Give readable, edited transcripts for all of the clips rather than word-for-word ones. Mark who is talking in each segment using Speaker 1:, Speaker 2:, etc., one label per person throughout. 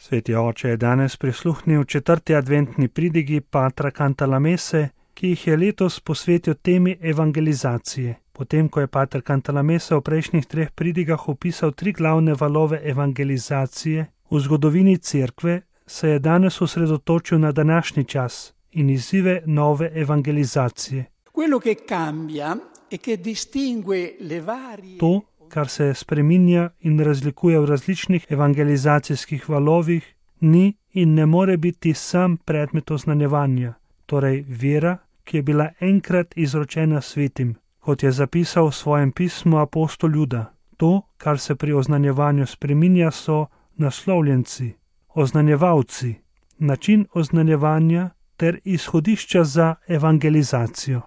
Speaker 1: Sveti oče je danes prisluhnil 4. adventni pridigi patra Cantalamesse, ki jih je letos posvetil temi evangelizacije. Potem, ko je pater Cantalamesse v prejšnjih 3 pridigah opisal 3 glavne valove evangelizacije v zgodovini cerkve, se je danes osredotočil na današnji čas in izzive nove evangelizacije. To, kar se spreminja in razlikuje v različnih evangelizacijskih valovih, ni in ne more biti sam predmet oznanjevanja, torej vera, ki je bila enkrat izročena svetim, kot je zapisal v svojem pismu apostol Juda. To, kar se pri oznanjevanju spreminja, so naslovljenci, oznanjevalci, način oznanjevanja ter izhodišča za evangelizacijo.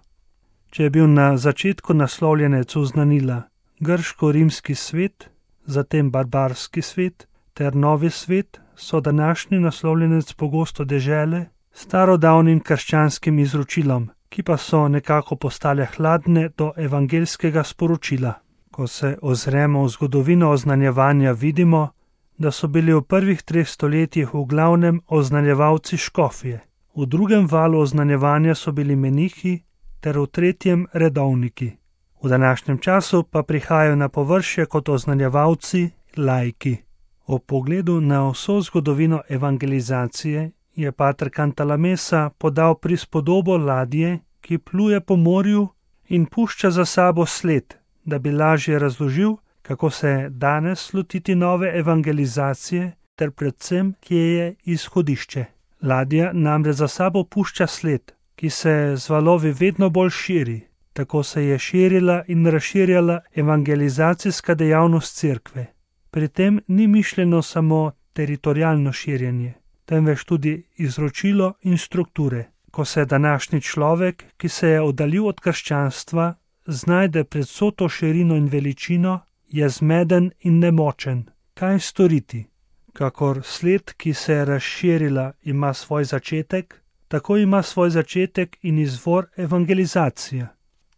Speaker 1: Če je bil na začetku naslovljenec oznanila grško-rimski svet, zatem barbarski svet ter novi svet, so današnji naslovljenec pogosto dežele starodavnim krščanskim izročilom, ki pa so nekako postale hladne do evangelskega sporočila. Ko se ozremo v zgodovino oznanjevanja, vidimo, da so bili v prvih 3 stoletjih v glavnem oznanjevalci škofje, v drugem valu oznanjevanja so bili menihi ter v 3. redovniki. V današnjem času pa prihajajo na površje kot oznanjevalci laiki. O pogledu na vso zgodovino evangelizacije je pater Cantalamessa podal prispodobo ladje, ki pluje po morju in pušča za sabo sled, da bi lažje razložil, kako se danes lotiti nove evangelizacije ter predvsem, kje je izhodišče. Ladja namreč za sabo pušča sled, ki se z valovi vedno bolj širi. Tako se je širila in razširjala evangelizacijska dejavnost cerkve. Pri tem ni mišljeno samo teritorialno širjenje, temveč tudi izročilo in strukture. Ko se današnji človek, ki se je oddaljil od krščanstva, znajde pred vso to širino in veličino, je zmeden in nemočen. Kaj storiti? Kakor sled, ki se je razširila, ima svoj začetek, tako ima svoj začetek in izvor evangelizacija.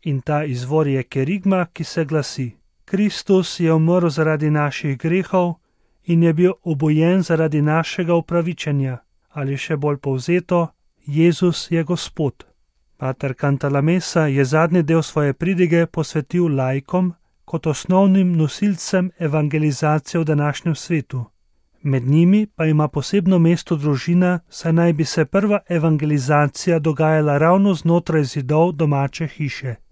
Speaker 1: In ta izvor je kerigma, ki se glasi: Kristus je umrl zaradi naših grehov in je bil obojen zaradi našega upravičenja, ali še bolj povzeto, Jezus je Gospod. Pater Cantalamessa je zadnji del svoje pridige posvetil laikom kot osnovnim nosilcem evangelizacije v današnjem svetu. Med njimi pa ima posebno mesto družina, saj naj bi se prva evangelizacija dogajala ravno znotraj zidov domače hiše.